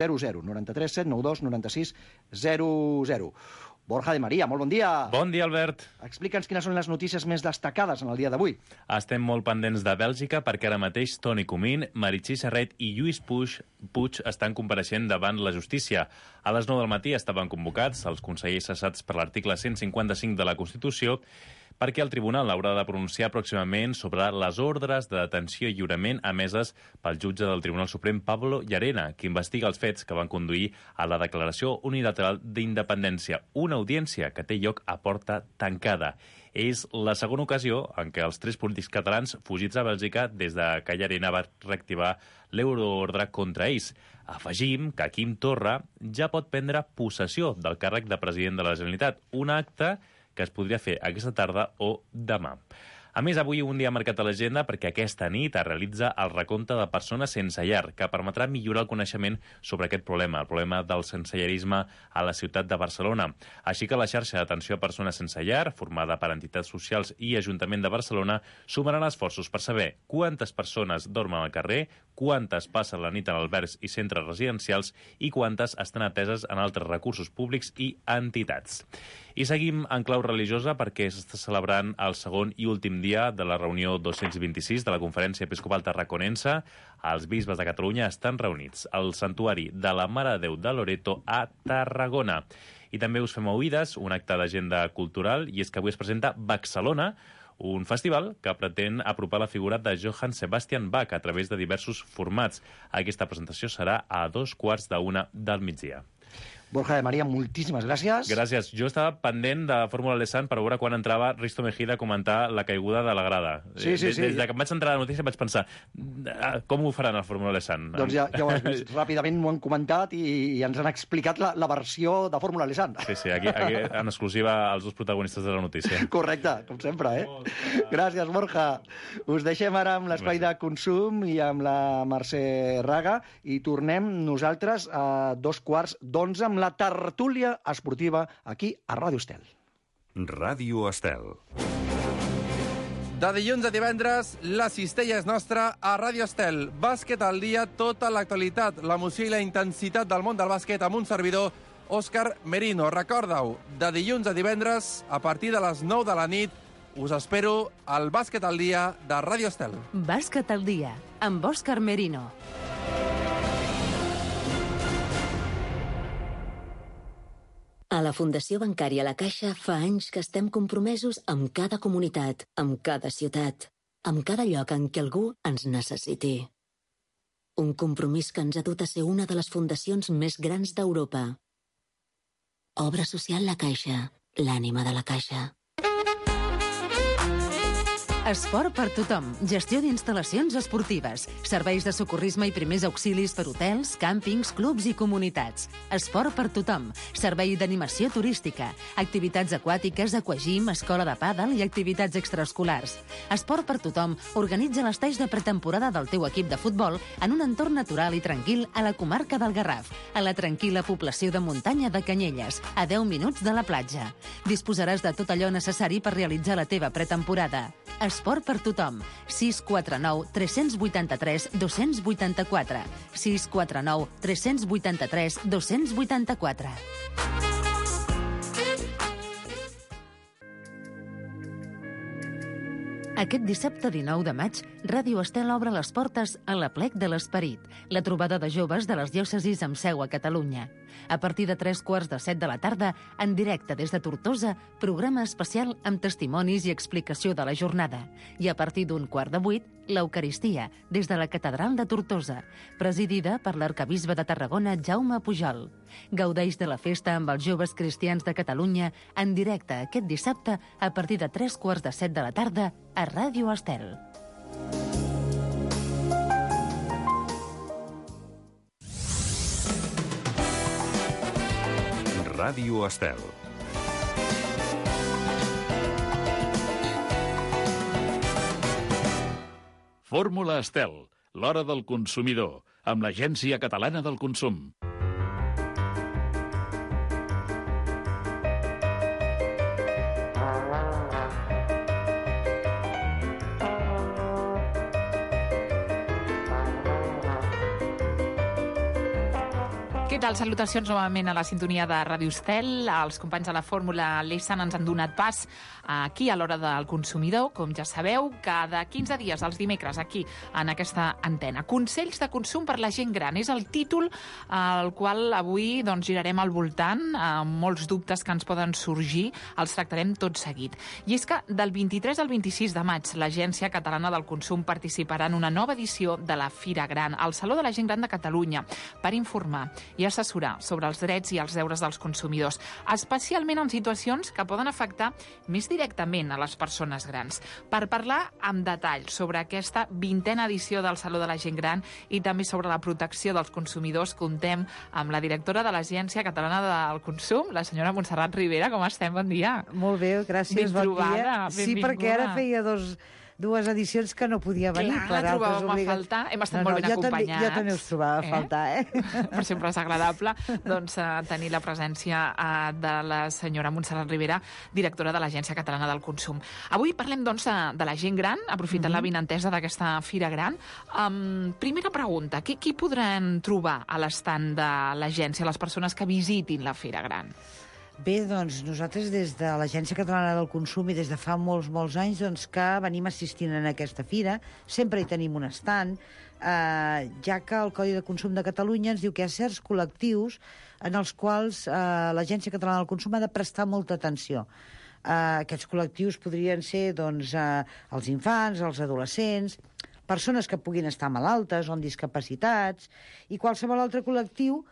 00 93 792 96 00. Borja de Maria, molt bon dia. Bon dia, Albert. Explica'ns quines són les notícies més destacades en el dia d'avui. Estem molt pendents de Bèlgica perquè ara mateix Toni Comín, Meritxell Serret i Lluís Puig estan compareixent davant la justícia. A les 9 del matí estaven convocats els consellers cessats per l'article 155 de la Constitució perquè el tribunal haurà de pronunciar pròximament sobre les ordres de detenció i lliurament emeses pel jutge del Tribunal Suprem Pablo Llarena, que investiga els fets que van conduir a la declaració unilateral d'independència, una audiència que té lloc a porta tancada. És la segona ocasió en què els 3 polítics catalans fugits a Bèlgica des de que Llarena va reactivar l'euroordre contra ells. Afegim que Quim Torra ja pot prendre possessió del càrrec de president de la Generalitat, un acte que es podria fer aquesta tarda o demà. A més, avui un dia marcat a l'agenda perquè aquesta nit es realitza el recompte de persones sense llar, que permetrà millorar el coneixement sobre aquest problema, el problema del sensellarisme a la ciutat de Barcelona. Així que la xarxa d'atenció a persones sense llar, formada per entitats socials i Ajuntament de Barcelona, sumaran esforços per saber quantes persones dormen al carrer, quantes passen la nit en albergs i centres residencials i quantes estan ateses en altres recursos públics i entitats. I seguim en clau religiosa perquè s'està celebrant el segon i últim dia de la reunió 226 de la Conferència Episcopal Tarraconense. Els bisbes de Catalunya estan reunits al Santuari de la Mare de Déu de Loreto a Tarragona. I també us fem oïdes un acte d'agenda cultural, i és que avui es presenta Baxalona, un festival que pretén apropar la figura de Johann Sebastian Bach a través de diversos formats. Aquesta presentació serà a 2:15 del migdia. Borja de Maria, moltíssimes gràcies. Gràcies. Jo estava pendent de Fórmula Lesan per veure quan entrava Risto Mejida a comentar la caiguda de la grada. Sí. Des que em vaig entrar a la notícia vaig pensar, com ho faran al Fórmula Lesan? Doncs ja ho has vist. Ràpidament ho han comentat i ens han explicat la versió de Fórmula Lesan. Sí, aquí en exclusiva els 2 protagonistes de la notícia. Correcte, com sempre, Gràcies, Borja. Us deixem ara amb l'espai de consum i amb la Mercè Raga i tornem nosaltres a 2:15 amb la tertúlia esportiva aquí a Ràdio Estel. Ràdio Estel. De dilluns a divendres, la cistella és nostra a Ràdio Estel. Bàsquet al dia, tota l'actualitat, l'emoció i la intensitat del món del bàsquet amb un servidor, Òscar Merino. Recorda-ho, de dilluns a divendres, a partir de les 9 de la nit, us espero al Bàsquet al dia de Ràdio Estel. Bàsquet al dia, amb Òscar Merino. A la Fundació Bancària La Caixa fa anys que estem compromesos amb cada comunitat, amb cada ciutat, amb cada lloc en què algú ens necessiti. Un compromís que ens ha dut a ser una de les fundacions més grans d'Europa. Obra social La Caixa, l'ànima de la Caixa. Esport per tothom. Gestió d'instal·lacions esportives. Serveis de socorrisme i primers auxilis per hotels, càmpings, clubs i comunitats. Esport per tothom. Servei d'animació turística. Activitats aquàtiques, aquagym, escola de pàdel i activitats extraescolars. Esport per tothom organitza les talls de pretemporada del teu equip de futbol en un entorn natural i tranquil a la comarca del Garraf, a la tranquil·la població de muntanya de Canyelles, a 10 minuts de la platja. Disposaràs de tot allò necessari per realitzar la teva pretemporada. Esport per tothom. 649 383 284. 649 383 284. Aquest dissabte 19 de maig, Ràdio Estel obre les portes a l'Aplec de l'Esperit, la trobada de joves de les diòcesis amb seu a Catalunya. A partir de 3:15 de la tarda, en directe des de Tortosa, programa especial amb testimonis i explicació de la jornada. I a partir d'7:15, l'Eucaristia, des de la Catedral de Tortosa, presidida per l'arcabisbe de Tarragona, Jaume Pujol. Gaudeix de la festa amb els joves cristians de Catalunya en directe aquest dissabte a partir de 3:15 de la tarda a Ràdio Estel. Ràdio Estel. Fórmula Estel, l'hora del consumidor, amb l'Agència Catalana del Consum. Què tal? Salutacions novament a la sintonia de Ràdio Estel. Els companys de la fórmula Lessan ens han donat pas aquí a l'Hora del Consumidor. Com ja sabeu, cada 15 dies, els dimecres, aquí, en aquesta antena. Consells de consum per la gent gran. És el títol al qual avui girarem al voltant. Molts dubtes que ens poden sorgir els tractarem tot seguit. I és que del 23 al 26 de maig l'Agència Catalana del Consum participarà en una nova edició de la Fira Gran, al Saló de la Gent Gran de Catalunya, per informar i assessorar sobre els drets i els deures dels consumidors, especialment en situacions que poden afectar més directament a les persones grans. Per parlar amb detall sobre aquesta 20a edició del Saló de la Gent Gran i també sobre la protecció dels consumidors, contem amb la directora de l'Agència Catalana del Consum, la senyora Montserrat Ribera. Com estem? Bon dia. Molt bé, gràcies, bon dia. Sí, perquè ara feia dues edicions que no podia venir. Clar, la trobàvem a faltar. Hem estat molt ben acompanyats. Jo també us trobava a faltar, Per sempre és agradable tenir la presència de la senyora Montserrat Ribera, directora de l'Agència Catalana del Consum. Avui parlem, de la gent gran, aprofitant la vinentesa d'aquesta Fira Gran. Primera pregunta, qui podran trobar a l'estand de l'agència, les persones que visitin la Fira Gran? Bé, nosaltres des de l'Agència Catalana del Consum i des de fa molts anys que venim assistint en aquesta fira, sempre hi tenim un estand, ja que el Codi de Consum de Catalunya ens diu que hi ha certs col·lectius en els quals l'Agència Catalana del Consum ha de prestar molta atenció. Aquests col·lectius podrien ser els infants, els adolescents, persones que puguin estar malaltes o amb discapacitats, i qualsevol altre col·lectiu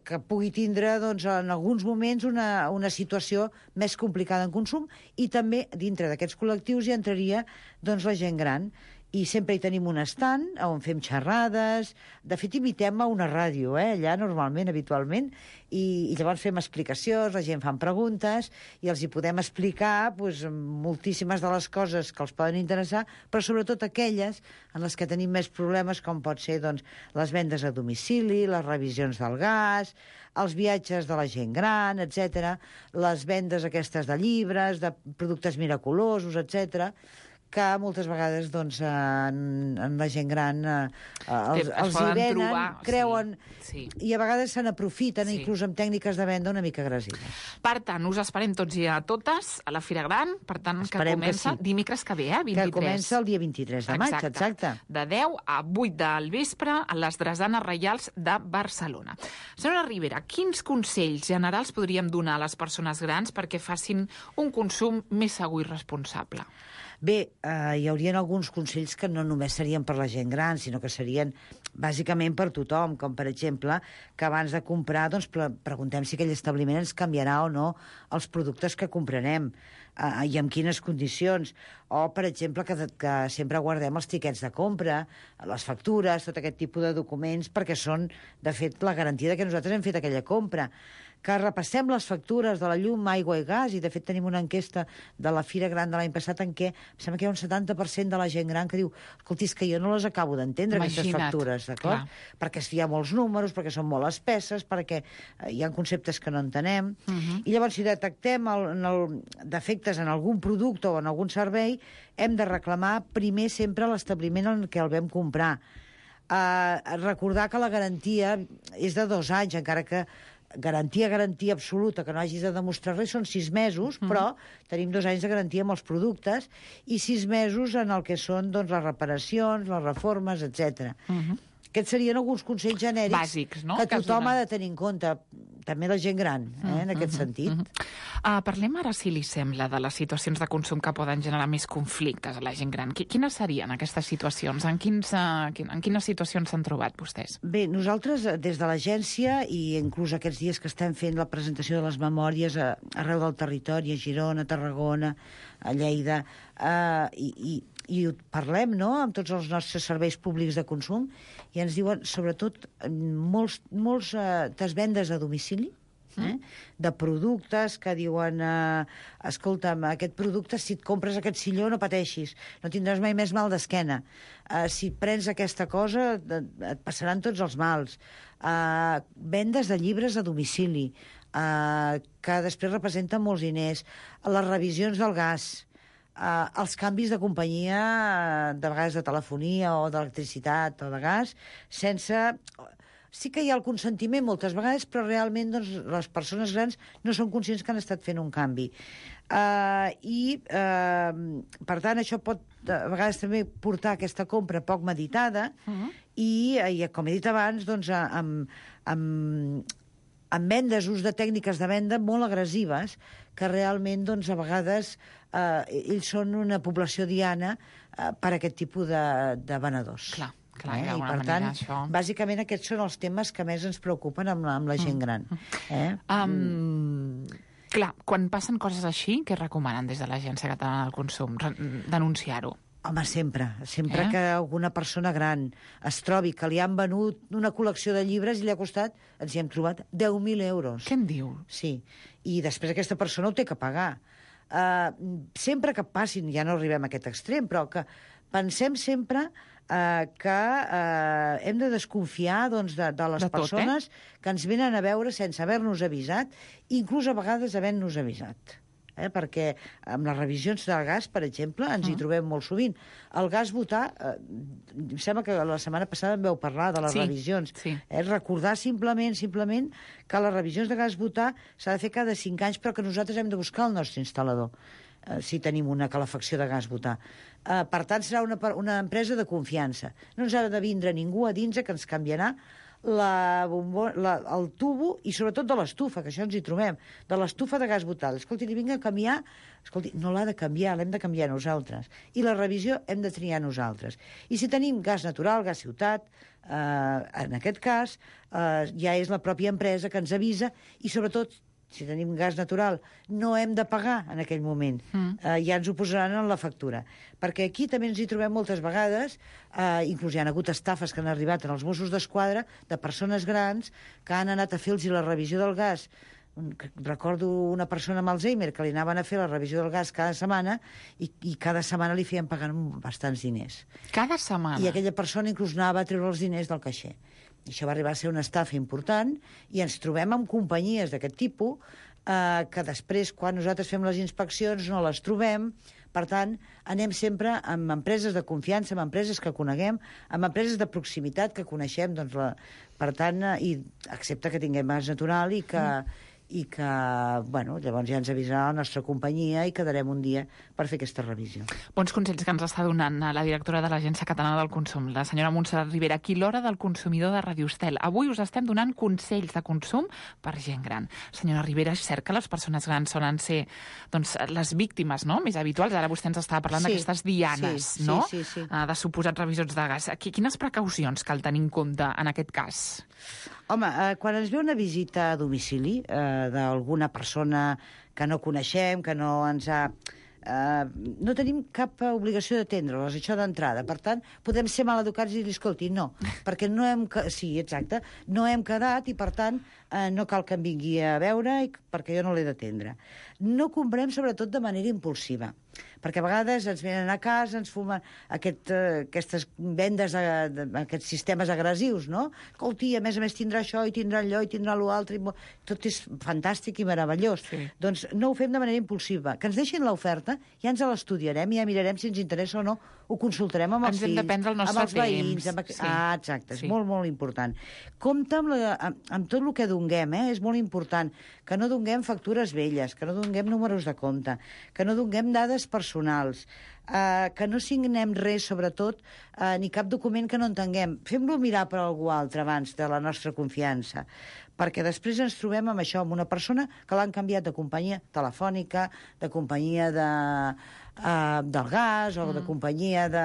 que pugui tindre en alguns moments una situació més complicada en consum, i també dintre d'aquests col·lectius hi entraria la gent gran. I sempre hi tenim un estand on fem xerrades. De fet, imitem a una ràdio, allà normalment, habitualment, i llavors fem explicacions, la gent fan preguntes i els hi podem explicar moltíssimes de les coses que els poden interessar, però sobretot aquelles en les que tenim més problemes, com pot ser les vendes a domicili, les revisions del gas, els viatges de la gent gran, etc., les vendes aquestes de llibres, de productes miraculosos, etc., que moltes vegades en la gent gran els hi venen, creuen, i a vegades se n'aprofiten, inclús amb tècniques de venda una mica agressives. Per tant, us esperem tots i a totes a la Fira Gran, per tant, que comença dimecres que ve, 23. Que comença el dia 23 de maig, exacte. De 10 a 8 del vespre a les Drasanes Reials de Barcelona. Senyora Ribera, quins consells generals podríem donar a les persones grans perquè facin un consum més segur i responsable? Bé, hi haurien alguns consells que no només serien per la gent gran, sinó que serien bàsicament per tothom, com per exemple que abans de comprar preguntem si aquell establiment ens canviarà o no els productes que comprarem i en quines condicions, o per exemple que sempre guardem els tiquets de compra, les factures, tot aquest tipus de documents, perquè són, de fet, la garantia de que nosaltres hem fet aquella compra. Que repassem les factures de la llum, aigua i gas, i de fet tenim una enquesta de la Fira Gran de l'any passat en què em sembla que hi ha un 70% de la gent gran que diu escolti, és que jo no les acabo d'entendre, aquestes factures, d'acord? Perquè hi ha molts números, perquè són molt espesses, perquè hi ha conceptes que no entenem, i llavors si detectem defectes en algun producte o en algun servei, hem de reclamar primer sempre l'establiment en què el vam comprar. Recordar que la garantia és de 2 anys, encara que garantia absoluta, que no hagis de demostrar res, són 6 mesos, però tenim 2 anys de garantia amb els productes i 6 mesos en el que són les reparacions, les reformes, etc. Aquests serien alguns consells genèrics bàsics, no? Que tothom ha de tenir en compte, també la gent gran, en aquest sentit. Parlem ara, si li sembla, de les situacions de consum que poden generar més conflictes a la gent gran. Quines serien aquestes situacions? En quines situacions s'han trobat vostès? Bé, nosaltres, des de l'agència, i inclús aquests dies que estem fent la presentació de les memòries arreu del territori, a Girona, a Tarragona, a Lleida, i parlem, no?, amb tots els nostres serveis públics de consum, i ens diuen, sobretot, molts vendes a domicili, de productes que diuen escolta'm, aquest producte, si et compres aquest silló no pateixis, no tindràs mai més mal d'esquena, si prens aquesta cosa et passaran tots els mals, vendes de llibres a domicili, que després representen molts diners, les revisions del gas, els canvis de companyia, de vegades de telefonia o d'electricitat o de gas, sense sí que hi ha el consentiment moltes vegades, però realment doncs, les persones grans no són conscients que han estat fent un canvi. Per tant, això pot a vegades també portar aquesta compra poc meditada i com he dit abans, doncs, amb vendes, ús de tècniques de venda molt agressives, que realment, doncs, a vegades ells són una població diana per a aquest tipus de venedors. Clar, I per tant, bàsicament aquests són els temes que més ens preocupen amb la gent gran. Clar, quan passen coses així, què recomanen des de l'Agència Catalana del Consum? Denunciar-ho? Home, sempre que alguna persona gran es trobi que li han venut una col·lecció de llibres i li ha costat, ens hi hem trobat, 10.000 euros. Què en diu? Sí, i després aquesta persona ho té que pagar. Sempre que passin, ja no arribem a aquest extrem, però que pensem sempre que hem de desconfiar doncs, de les persones que ens venen a veure sense haver-nos avisat, inclús a vegades havent-nos avisat. Perquè amb les revisions del gas, per exemple, ens hi trobem molt sovint. El gas butà, em sembla que la setmana passada en vau parlar de les revisions. Recordar simplement que les revisions de gas butà s'ha de fer cada 5 anys, però que nosaltres hem de buscar el nostre instal·lador, si tenim una calefacció de gas butà. Per tant, serà una empresa de confiança. No ens ha de vindre ningú a dins que ens canviarà el tubo i sobretot de l'estufa, que això ens hi trobem, de l'estufa de gas butà. Escolti, li vinc a canviar... Escolti, no l'ha de canviar, l'hem de canviar nosaltres. I la revisió hem de triar nosaltres. I si tenim gas natural, gas ciutat, en aquest cas, ja és la pròpia empresa que ens avisa i sobretot, si tenim gas natural, no hem de pagar en aquell moment. Ja ens ho posaran en la factura. Perquè aquí també ens hi trobem moltes vegades, inclús hi ha hagut estafes que han arribat als Mossos d'Esquadra de persones grans que han anat a fer-los la revisió del gas. Recordo una persona amb Alzheimer que li anaven a fer la revisió del gas cada setmana i cada setmana li feien pagar bastants diners. Cada setmana? I aquella persona inclús anava a treure els diners del caixer. I això va arribar a ser una estafa important i ens trobem amb companyies d'aquest tipus que després, quan nosaltres fem les inspeccions, no les trobem. Per tant, anem sempre amb empreses de confiança, amb empreses que coneguem, amb empreses de proximitat que coneixem, doncs, per tant, i excepte que tinguem gas natural i que bueno, llavors ja ens avisarà la nostra companyia i quedarem un dia per fer aquesta revisió. Bons consells que ens està donant la directora de l'Agència Catalana del Consum, la senyora Montserrat Ribera, aquí l'hora del consumidor de Radio Estel. Avui us estem donant consells de consum per gent gran. Senyora Ribera, és cert que les persones grans solen ser doncs, les víctimes, no?, més habituals. Ara vostè ens estava parlant d'aquestes dianes, no?, de suposats revisors de gas. Quines precaucions cal tenir en compte en aquest cas? Home, quan ens ve una visita a domicili d'alguna persona que no coneixem, que no ens ha... no tenim cap obligació d'atendre-les, això d'entrada. Per tant, podem ser maleducats i dir, escolti, no, perquè no hem... Sí, exacte, no hem quedat i, per tant, no cal que em vingui a veure perquè jo no l'he d'atendre. No comprem, sobretot, de manera impulsiva, perquè a vegades ens venen a casa, ens fumen aquestes vendes, aquests sistemes agressius, no? Escolti, a més tindrà això, i tindrà allò, i tindrà l'altre, tot és fantàstic i meravellós. Doncs no ho fem de manera impulsiva. Que ens deixin l'oferta, ja ens l'estudiarem, ja mirarem si ens interessa o no, ho consultarem amb els fills, amb els veïns. Exacte, és molt, molt important. Compte amb tot el que donem, és molt important que no donem factures velles, que no donem números de compte, que no donem dades personals, que no signem res, sobretot, ni cap document que no entenguem. Fem-lo mirar per algú altre abans de la nostra confiança, perquè després ens trobem amb això, amb una persona que l'han canviat de companyia telefònica, de companyia del gas o de companyia de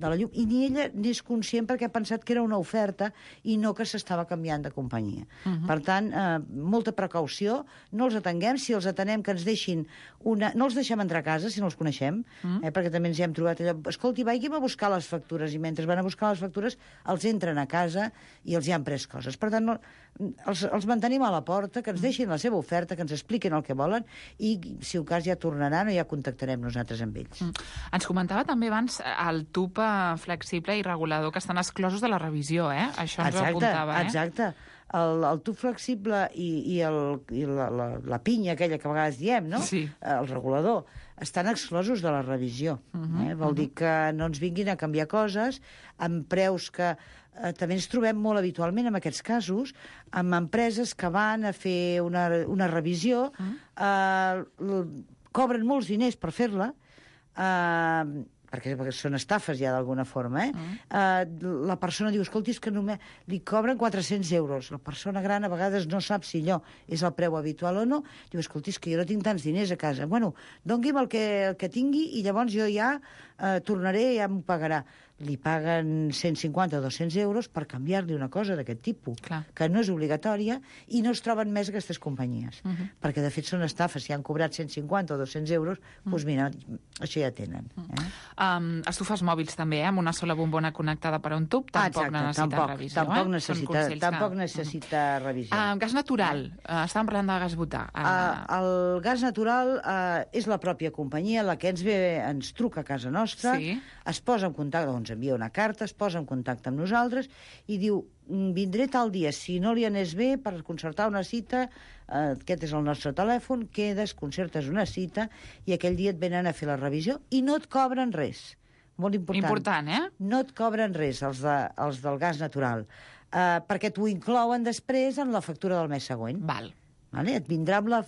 la llum, i ni ella n'és conscient perquè ha pensat que era una oferta i no que s'estava canviant de companyia. Per tant, molta precaució, no els atenguem, si els atenem que ens deixin no els deixem entrar a casa si no els coneixem, perquè també ens hi hem trobat allò, escolti, vagin a buscar les factures, i mentre van a buscar les factures els entren a casa i els hi han pres coses. Per tant, els mantenim a la porta, que ens deixin la seva oferta, que ens expliquin el que volen i, si un cas, ja tornaran o ja contactarem nosaltres amb ells. Ens comentava també abans el tub flexible i regulador que estan exclosos de la revisió, Això ens ho apuntava, Exacte. el tub flexible i la pinya aquella que a vegades diem, no? Sí. El regulador, estan exclosos de la revisió. Vol dir que no ens vinguin a canviar coses amb preus que també ens trobem molt habitualment en aquests casos amb empreses que van a fer una revisió, cobren molts diners per fer-la, perquè són estafes ja d'alguna forma, la persona diu, escolti, és que només li cobren 400 euros. La persona gran a vegades no sap si allò és el preu habitual o no. Diu, escolti, és que jo no tinc tants diners a casa. Bueno, doni'm el que tingui i llavors jo ja tornaré i ja m'ho pagarà. Li paguen 150 o 200 euros per canviar-li una cosa d'aquest tipus, que no és obligatòria, i no es troben més aquestes companyies. Perquè, de fet, són estafes. Si han cobrat 150 o 200 euros, doncs mira, això ja tenen. Estufes mòbils també, amb una sola bombona connectada per a un tub, tampoc necessita revisió. Tampoc necessita revisió. Gas natural. Estàvem parlant de gas butà. El gas natural és la pròpia companyia la que ens truca a casa nostra, es posa en contacte, ens envia una carta, es posa en contacte amb nosaltres i diu, vindré tal dia, si no li anés bé per concertar una cita, aquest és el nostre telèfon, quedes, concertes una cita i aquell dia et venen a fer la revisió i no et cobren res. Molt important. Important, No et cobren res, els del gas natural, perquè t'ho inclouen després en la factura del mes següent. Val. Et vindrà amb la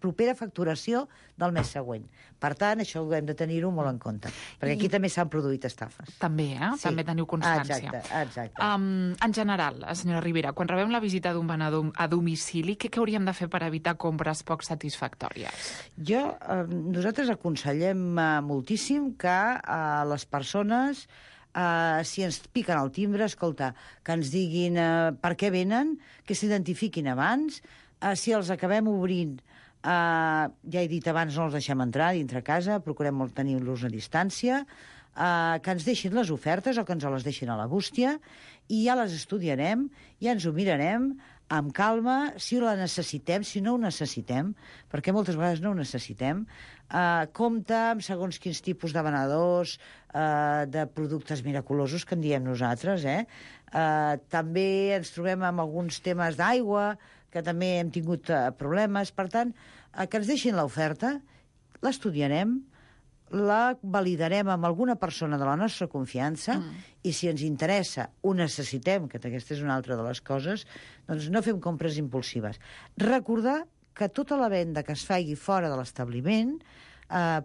propera facturació del mes següent. Per tant, això ho hem de tenir-ho molt en compte, perquè aquí també s'han produït estafes. També, També teniu constància. Exacte. En general, senyora Ribera, quan rebem la visita d'un venedor a domicili, què hauríem de fer per evitar compres poc satisfactòries? Nosaltres aconsellem moltíssim que les persones, si ens piquen el timbre, escolta, que ens diguin per què venen, que s'identifiquin abans. Si els acabem obrint, ja he dit abans, no els deixem entrar dintre casa, procurem tenir-los a distància, que ens deixin les ofertes o que ens les deixin a la bústia, i ja les estudiarem, ja ens ho mirarem amb calma, si la necessitem, si no ho necessitem, perquè moltes vegades no ho necessitem. Compte amb segons quins tipus de venedors, de productes miraculosos que en diem nosaltres. També ens trobem amb alguns temes d'aigua, que també hem tingut problemes. Per tant, que ens deixin l'oferta, l'estudiarem, la validarem amb alguna persona de la nostra confiança i si ens interessa, ho necessitem, que aquesta és una altra de les coses, doncs no fem compres impulsives. Recordar que tota la venda que es faci fora de l'establiment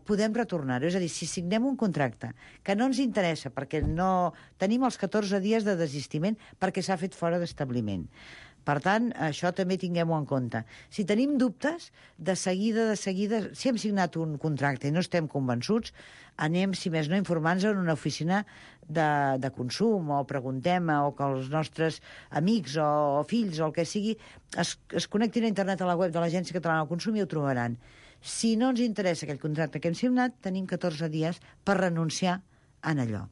podem retornar-ho. És a dir, si signem un contracte que no ens interessa perquè no tenim els 14 dies de desistiment perquè s'ha fet fora d'establiment. Per tant, això també tinguem-ho en compte. Si tenim dubtes, de seguida, si hem signat un contracte i no estem convençuts, anem, si més no, informant-nos en una oficina de consum, o preguntem, o que els nostres amics o fills o el que sigui es connectin a internet a la web de l'Agència Catalana del Consum i ho trobaran. Si no ens interessa aquell contracte que hem signat, tenim 14 dies per renunciar en allò.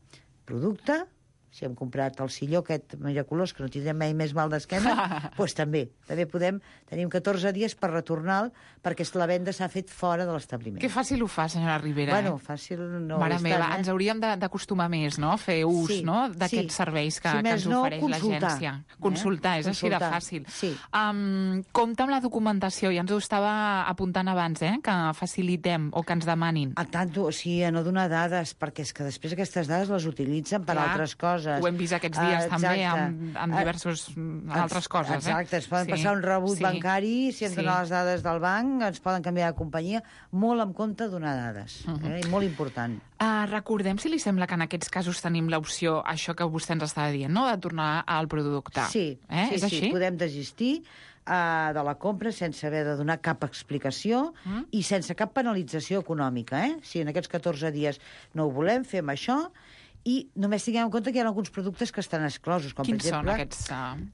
Producte, si hem comprat el silló aquest miraculós, que no tindrem mai més mal d'esquena, doncs també tenim 14 dies per retornar-lo, perquè la venda s'ha fet fora de l'establiment. Que fàcil ho fa, senyora Ribera. Bueno, fàcil no ho és tant. Ens hauríem d'acostumar més, no?, a fer ús d'aquests serveis que ens ofereix l'agència. Consultar, és així de fàcil. Compte amb la documentació, ja ens ho estava apuntant abans, que facilitem o que ens demanin. A tant, o sigui, a no donar dades, perquè és que després aquestes dades les utilitzen per altres coses. Ho hem vist aquests dies també amb diversos altres coses. Exacte, ens poden passar un rebut bancari, si ens donen les dades del banc, ens poden canviar de companyia. Molt en compte donar dades, molt important. Recordem, si li sembla, que en aquests casos tenim l'opció, això que vostè ens estava dient, no?, de tornar al producte. Sí, podem desistir de la compra sense haver de donar cap explicació i sense cap penalització econòmica. Si en aquests 14 dies no ho volem, fem això. I només tinguem en compte que hi ha alguns productes que estan exclosos, com Quins per exemple... són aquests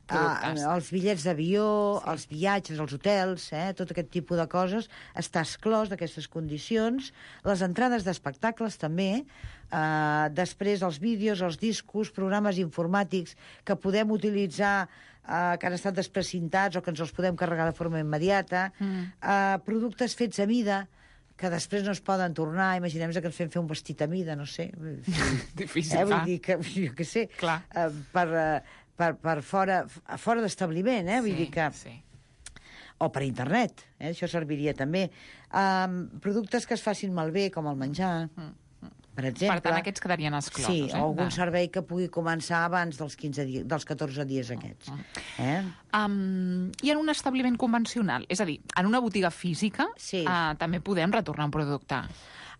productes? Els bitllets d'avió, els viatges, els hotels, tot aquest tipus de coses, està exclòs d'aquestes condicions. Les entrades d'espectacles també, després els vídeos, els discos, programes informàtics que podem utilitzar que han estat desprecintats o que ens els podem carregar de forma immediata, productes fets a mida, que després no es poden tornar. Imaginem-nos que ens fem fer un vestit a mida, no sé. Difícil, Vull dir que, jo què sé, per fora d'establiment, vull dir que... Sí. O per internet, això serviria també. Productes que es facin malbé, com el menjar, per exemple. Per tant, aquests quedarien exclosos. Sí, o algun servei que pugui començar abans dels 14 dies aquests. I en un establiment convencional? És a dir, en una botiga física també podem retornar un producte?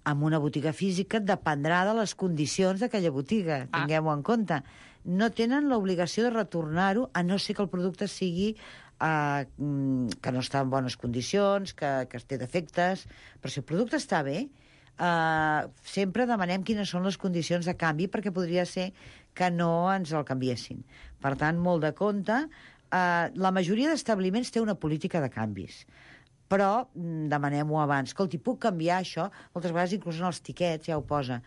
En una botiga física dependrà de les condicions d'aquella botiga, tinguem-ho en compte. No tenen l'obligació de retornar-ho, a no ser que el producte sigui que no està en bones condicions, que es té defectes. Però si el producte està bé, sempre demanem quines són les condicions de canvi, perquè podria ser que no ens el canviessin. Per tant, molt de compte. La majoria d'establiments té una política de canvis, però demanem-ho abans. Escolti, puc canviar això? Moltes vegades, inclús en els tiquets, ja ho posa.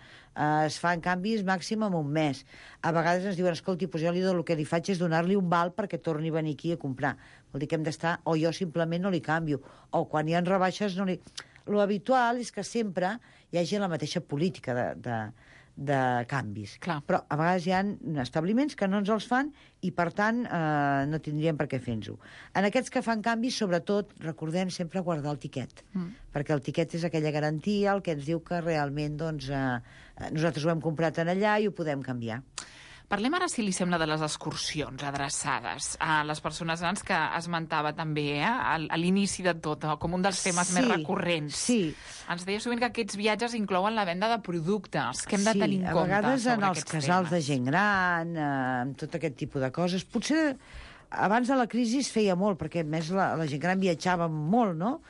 Es fan canvis màxim en un mes. A vegades ens diuen, escolti, doncs jo el que li faig és donar-li un val perquè torni a venir aquí a comprar. Vol dir que hem d'estar, o jo simplement no li canvio, o quan hi ha rebaixes no li... Lo habitual és que sempre hi hagi la mateixa política de canvis. Clar. Però a vegades hi ha establiments que no ens els fan i, per tant, no tindríem per què fer-nos-ho. En aquests que fan canvis, sobretot, recordem sempre guardar el tiquet, perquè el tiquet és aquella garantia, el que ens diu que realment nosaltres ho hem comprat en allà i ho podem canviar. Parlem ara, si li sembla, de les excursions adreçades a les persones grans que esmentava també a l'inici de tot, com un dels temes més recurrents. Sí. Ens deia sovint que aquests viatges inclouen la venda de productes, que hem de tenir en compte sobre aquests temes. Sí, a vegades en els casals de gent gran, amb tot aquest tipus de coses. Potser abans de la crisi es feia molt, perquè a més la gent gran viatjava molt, no?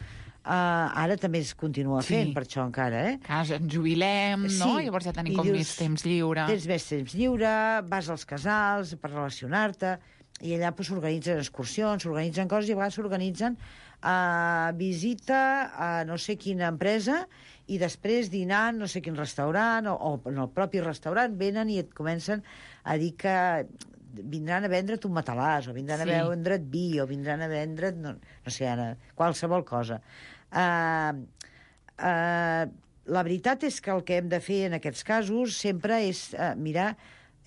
Ara també es continua fent, per això encara, Clar, ens jubilem, no? Llavors ja tenim com més temps lliure. Tens més temps lliure, vas als casals per relacionar-te, i allà s'organitzen excursions, s'organitzen coses, i a vegades s'organitzen visita a no sé quina empresa, i després dinant no sé quin restaurant, o en el propi restaurant venen i et comencen a dir que vindran a vendre't un matalàs, o vindran a vendre't vi, o vindran a vendre't, no sé, ara, qualsevol cosa. La veritat és que el que hem de fer en aquests casos sempre és mirar,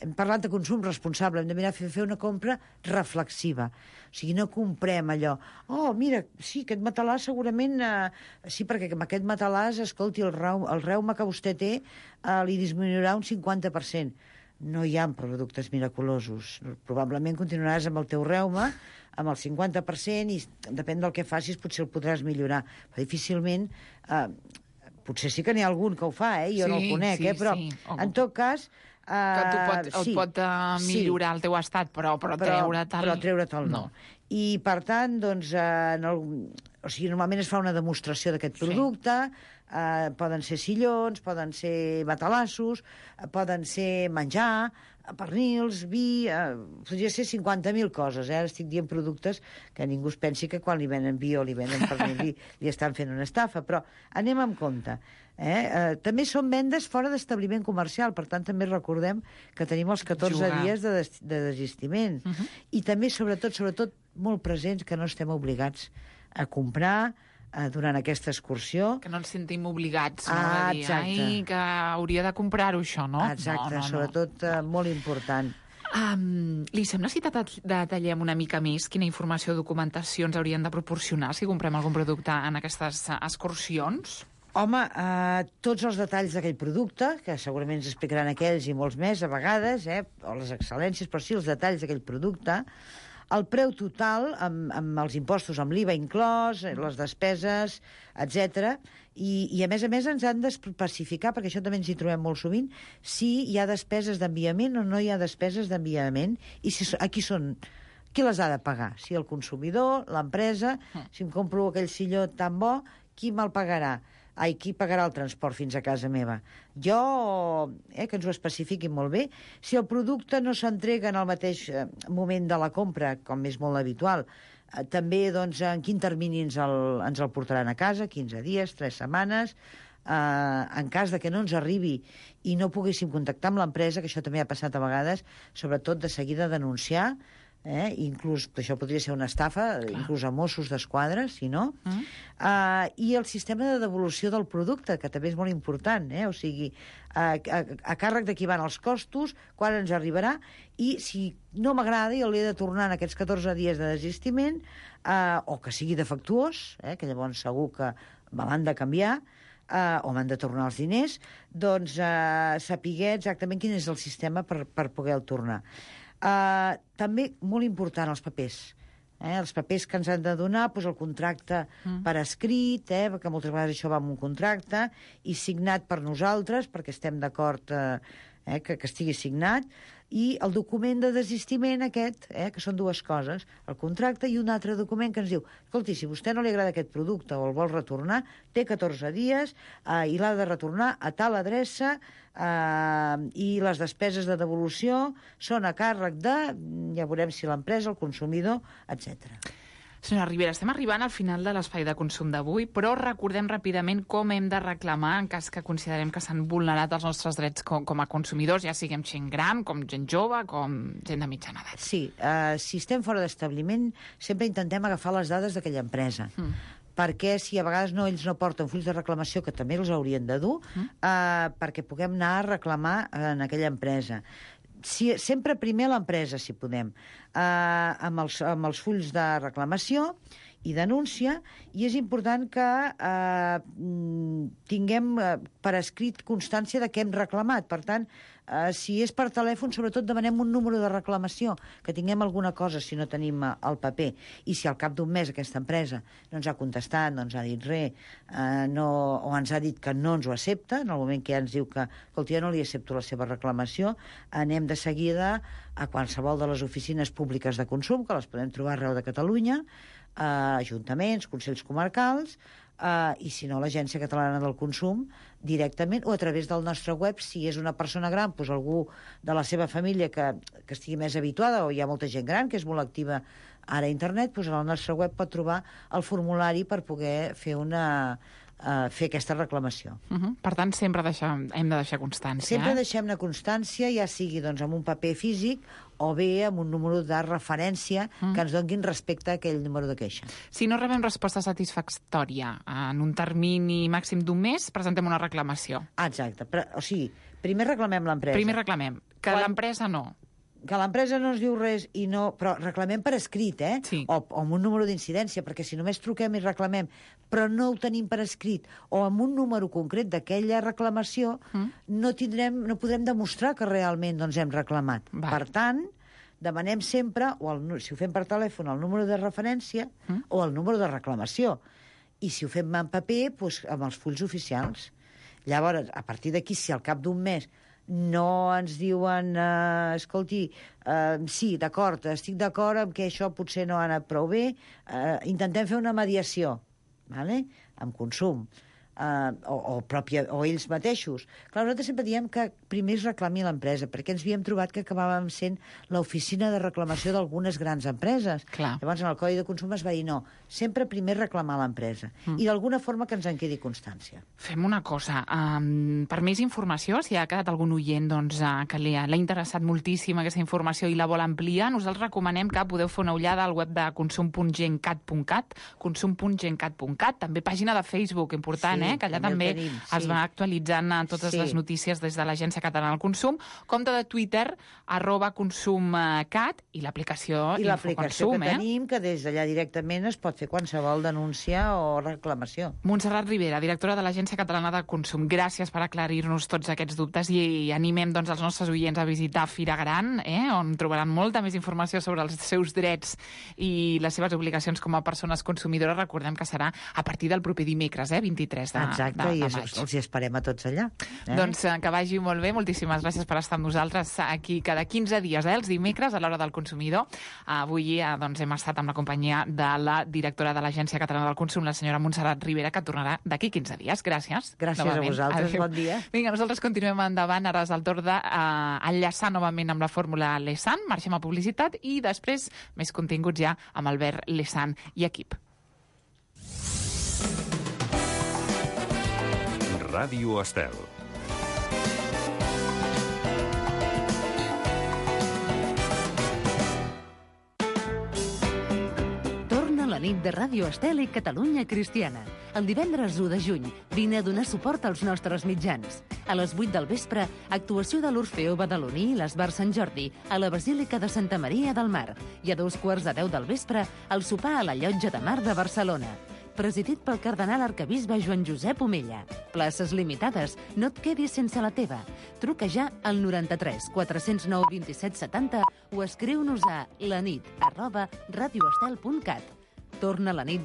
hem parlat de consum responsable, hem de mirar fer una compra reflexiva. O sigui, no comprem allò, mira, sí, aquest matalàs segurament, sí, perquè amb aquest matalàs, escolti, el reuma que vostè té li disminuirà un 50%. No hi ha productes miraculosos. Probablement continuaràs amb el teu reuma, amb el 50%, i depèn del que facis, potser el podràs millorar. Però difícilment... potser sí que n'hi ha algun que ho fa, jo no el conec, però en tot cas... que et pot millorar el teu estat, però treure'l no. I, per tant, doncs, normalment es fa una demostració d'aquest producte, poden ser sillons, poden ser matalassos, poden ser menjar, pernils, vi... podria ser 50.000 coses, Ara estic dient productes que ningú es pensi que quan li venen vi o li venen pernil li estan fent una estafa, però anem amb compte. També són vendes fora d'establiment comercial, per tant també recordem que tenim els 14 dies de desistiment. I també, sobretot, molt presents que no estem obligats a comprar durant aquesta excursió. Que no ens sentim obligats, no? A dir, ai, que hauria de comprar-ho, això, no? Exacte, sobretot molt important. Li sembla si detallem una mica més quina informació o documentació ens haurien de proporcionar si comprem algun producte en aquestes excursions? Home, tots els detalls d'aquell producte, que segurament ens explicaran aquells i molts més a vegades, o les excel·lències, però sí els detalls d'aquell producte, el preu total, amb els impostos, amb l'IVA inclòs, les despeses, etc. I a més ens han d'especificar, perquè això també ens hi trobem molt sovint, si hi ha despeses d'enviament o no hi ha despeses d'enviament, i qui les ha de pagar? Si el consumidor, l'empresa, si em compro aquell silló tan bo, qui me'l pagarà? Qui pagarà el transport fins a casa meva? Que ens ho especifiquin molt bé. Si el producte no s'entrega en el mateix moment de la compra, com és molt habitual, també doncs, en quin termini ens el portaran a casa, 15 dies, 3 setmanes, en cas de que no ens arribi i no poguéssim contactar amb l'empresa, que això també ha passat a vegades, sobretot de seguida denunciar, inclús això podria ser una estafa, inclús a Mossos d'Esquadra, si no. I el sistema de devolució del producte, que també és molt important, o sigui, a càrrec de qui van els costos, quan ens arribarà, i si no m'agrada i l'he de tornar en aquests 14 dies de desistiment, o que sigui defectuós, que llavors segur que me l'han de canviar, o m'han de tornar els diners, doncs saber exactament quin és el sistema per poder-lo tornar. També, molt important, els papers. Els papers que ens han de donar, doncs el contracte per escrit, perquè moltes vegades això va amb un contracte, i signat per nosaltres, perquè estem d'acord que estigui signat, i el document de desistiment aquest, que són dues coses, el contracte i un altre document que ens diu, escolti, si a vostè no li agrada aquest producte o el vol retornar, té 14 dies i l'ha de retornar a tal adreça i les despeses de devolució són a càrrec de, ja veurem si l'empresa, el consumidor, etc. Senyora Ribera, estem arribant al final de l'espai de consum d'avui, però recordem ràpidament com hem de reclamar en cas que considerem que s'han vulnerat els nostres drets com a consumidors, ja siguem gent gran, com gent jove, com gent de mitjana edat. Sí, si estem fora d'establiment, sempre intentem agafar les dades d'aquella empresa. Perquè si a vegades ells no porten fulls de reclamació, que també els haurien de dur, perquè puguem anar a reclamar en aquella empresa. Sempre primer l'empresa, si podem, amb els fulls de reclamació i denúncia, i és important que tinguem per escrit constància de què hem reclamat. Per tant, si és per telèfon, sobretot demanem un número de reclamació, que tinguem alguna cosa si no tenim el paper. I si al cap d'un mes aquesta empresa no ens ha contestat, no ens ha dit res, o ens ha dit que no ens ho accepta, en el moment que ja ens diu que, escolta, jo no li accepto la seva reclamació, anem de seguida a qualsevol de les oficines públiques de consum, que les podem trobar arreu de Catalunya, ajuntaments, consells comarcals, i si no, l'Agència Catalana del Consum directament, o a través del nostre web, si és una persona gran, doncs algú de la seva família que estigui més habituada, o hi ha molta gent gran que és molt activa ara a internet, doncs al nostre web pot trobar el formulari per poder fer aquesta reclamació. Per tant, sempre hem de deixar constància. Sempre deixem-ne constància, ja sigui amb un paper físic o bé amb un número de referència que ens donguin respecte a aquell número de queixa. Si no rebem resposta satisfactòria en un termini màxim d'un mes, presentem una reclamació. Exacte. O sigui, primer reclamem l'empresa. Primer reclamem. Que l'empresa no. Que l'empresa no ens diu res, però reclamem per escrit, Sí. O amb un número d'incidència, perquè si només truquem i reclamem, però no ho tenim per escrit, o amb un número concret d'aquella reclamació, no podrem demostrar que realment hem reclamat. Per tant, demanem sempre, si ho fem per telèfon, el número de referència o el número de reclamació. I si ho fem en paper, doncs amb els fulls oficials. Llavors, a partir d'aquí, si al cap d'un mes no ens diuen, escolti, sí, d'acord, estic d'acord amb que això potser no ha anat prou bé, intentem fer una mediació, amb consum, o ells mateixos. Clar, nosaltres sempre diem que primer es reclami l'empresa, perquè ens havíem trobat que acabàvem sent l'oficina de reclamació d'algunes grans empreses. Llavors, en el Codi de Consum es va dir no, sempre primer reclamar l'empresa. I d'alguna forma que ens en quedi constància. Fem una cosa, per més informació, si ha quedat algun oient que l'ha interessat moltíssim aquesta informació i la vol ampliar, nosaltres recomanem que podeu fer una ullada al web de consum.gencat.cat, consum.gencat.cat, també pàgina de Facebook, important, que allà també es va actualitzant totes les notícies des de l'Agència Catalana del Consum, compte de Twitter, @consumcat, i l'aplicació Infoconsum. I l'aplicació que tenim, que des d'allà directament es pot fer qualsevol denúncia o reclamació. Montserrat Ribera, directora de l'Agència Catalana del Consum, gràcies per aclarir-nos tots aquests dubtes i animem els nostres oients a visitar Fira Gran, on trobaran molta més informació sobre els seus drets i les seves obligacions com a persones consumidores. Recordem que serà a partir del proper dimecres, 23 de maig. Exacte, i els hi esperem a tots allà. Doncs que vagi molt bé, moltíssimes gràcies per estar amb nosaltres aquí cada 15 dies, els dimecres, a l'Hora del Consumidor. Avui hem estat amb la companyia de la directora de l'Agència Catalana del Consum, la senyora Montserrat Ribera, que tornarà d'aquí 15 dies. Gràcies. Gràcies a vosaltres, bon dia. Vinga, nosaltres continuem endavant, ara és el torn d'enllaçar novament amb la fórmula Lesan, marxem a publicitat i després més continguts ja amb Albert Lesan i equip. Ràdio Estel. nit de Ràdio Estel i Catalunya Cristiana. El divendres 1 de juny vine a donar suport als nostres mitjans. A les 8 del vespre, actuació de l'Orfeó Badaloní i l'Esbar Sant Jordi a la Basílica de Santa Maria del Mar. I a 2:15 del vespre, el sopar a la Llotja de Mar de Barcelona. Presidit pel cardenal arquebisbe Joan Josep Omella. Places limitades, no et quedis sense la teva. Truca ja al 93 409 27 70 o escriu-nos a lanit@radioestel.cat. Torna la nit de